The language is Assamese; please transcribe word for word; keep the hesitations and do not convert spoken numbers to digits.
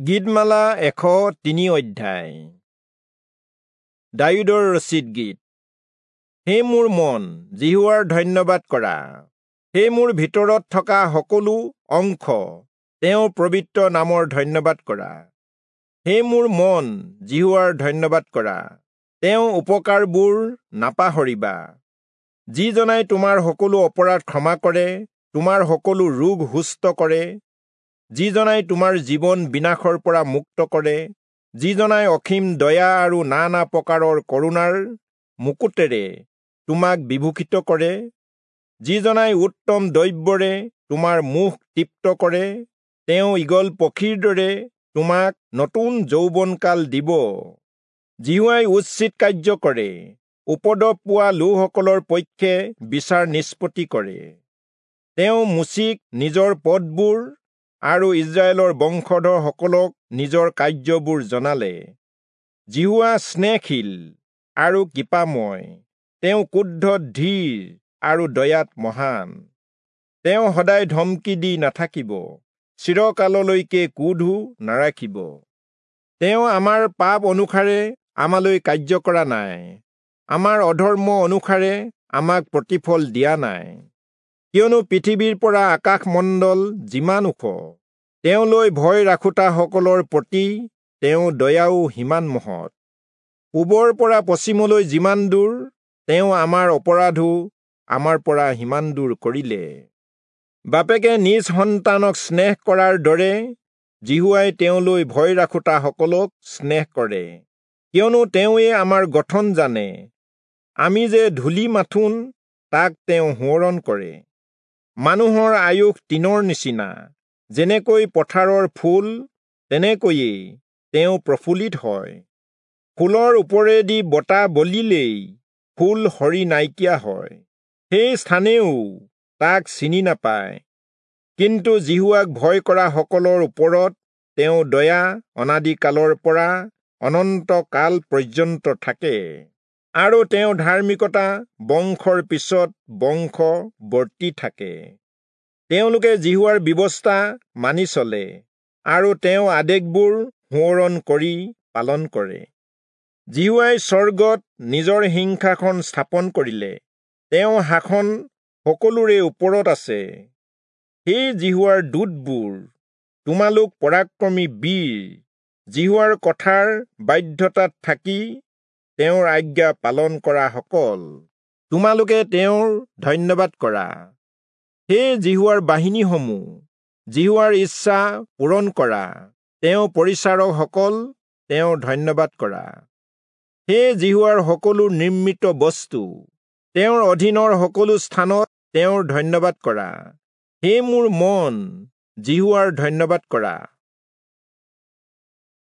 গীতমালা এশ তিনি অধ্যায়। দায়ূদৰ ৰচিত গীত। হে মোৰ মন, যিহোৱাৰ ধন্যবাদ কৰা। হে মোৰ ভিতৰত থকা সকলো অংশ, তেওঁৰ পবিত্ৰ নামৰ ধন্যবাদ কৰা। হে মোৰ মন, যিহোৱাৰ ধন্যবাদ কৰা। তেওঁ উপকাৰবোৰ নাপাহৰিবা। যিজনাই তোমাৰ সকলো অপৰাধ ক্ষমা কৰে, তোমাৰ সকলো ৰোগ সুস্থ কৰে, যিজনাই তোমাৰ জীৱন বিনাশৰ পৰা মুক্ত কৰে, যিজনাই অসীম দয়া আৰু নানা প্ৰকাৰৰ কৰুণাৰ মুকুটেৰে তোমাক বিভূষিত কৰে, যিজনাই উত্তম দ্ৰব্যৰে তোমাৰ মুখ তৃপ্ত কৰে, তেওঁ ঈগল পক্ষীৰ দৰে তোমাক নতুন যৌৱনকাল দিব। যিহোৱাই উচিত কাৰ্য কৰে, উপদ্ৰৱ পোৱা লোকসকলৰ পক্ষে বিচাৰ নিষ্পত্তি কৰে। তেওঁ মোচিক নিজৰ পথবোৰ আৰু ইস্ৰায়েলৰ বংশধৰসকলক নিজৰ কাৰ্যবোৰ জনালে। যিহোৱা স্নেহশীল আৰু কৃপাময়, তেওঁ ক্ৰোধত ধীৰ আৰু দয়াত মহান। তেওঁ সদায় ধমকি দি নাথাকিব, চিৰকাললৈকে ক্ৰোধো নাৰাখিব। তেওঁ আমাৰ পাপ অনুসাৰে আমালৈ কাৰ্য কৰা নাই, আমাৰ অধৰ্ম অনুসাৰে আমাক প্ৰতিফল দিয়া নাই। কিয়নো পৃথিৱীৰ পৰা আকাশমণ্ডল যিমান ওখ, তেওঁলৈ ভয় ৰাখোঁতাসকলৰ প্ৰতি তেওঁ দয়াও সিমান মহৎ। পূবৰ পৰা পশ্চিমলৈ যিমান দূৰ, তেওঁ আমাৰ অপৰাধো আমাৰ পৰা সিমান দূৰ কৰিলে। বাপেকে নিজ সন্তানক স্নেহ কৰাৰ দৰে যিহোৱাই তেওঁলৈ ভয় ৰাখোঁতাসকলক স্নেহ কৰে। কিয়নো তেওঁৱে আমাৰ গঠন জানে, আমি যে ধূলি মাথোন তাক তেওঁ সোঁৱৰণ কৰে। মানুহৰ আয়ুস তৃণৰ নিচিনা, যেনেকৈ পথাৰৰ ফুল তেনেকৈয়ে তেওঁ প্ৰফুল্লিত হয়। ফুলৰ ওপৰেদি বতাহ বলিলেই ফুল সৰি নাইকিয়া হয়, সেই স্থানেও তাক চিনি নাপায়। কিন্তু যিহোৱাক ভয় কৰা সকলৰ ওপৰত তেওঁ দয়া অনাদিকালৰ পৰা অনন্ত কাল পৰ্যন্ত থাকে, আৰু তেওঁ ধাৰ্মিকতা বংশৰ পিছত বংশ বৰ্তি থাকে। তেওঁলোকে যিহোৱাৰ ব্যৱস্থা মানি চলে আৰু তেওঁ আদেশবোৰ সোঁৱৰণ কৰি পালন কৰে। যিহোৱাই স্বৰ্গত নিজৰ সিংহাসন স্থাপন কৰিলে, তেওঁ শাসন সকলোৰে ওপৰত আছে। হে যিহোৱাৰ দূতবোৰ, তোমালোক পৰাক্ৰমী বীৰ, যিহোৱাৰ কথাৰ বাধ্যতাত থাকি তেওঁৰ আজ্ঞা পালন কৰা সকল, তোমালোকে তেওঁৰ ধন্যবাদ কৰা। হে যিহোৱাৰ বাহিনীসমূহ, যিহোৱাৰ ইচ্ছা পূৰণ কৰা, তেওঁ পৰিচাৰকসকল, তেওঁৰ ধন্যবাদ কৰা। হে যিহোৱাৰ সকলো নিৰ্মিত বস্তু, তেওঁৰ অধীনৰ সকলো স্থানত তেওঁৰ ধন্যবাদ কৰা। হে মোৰ মন, যিহোৱাৰ ধন্যবাদ কৰা।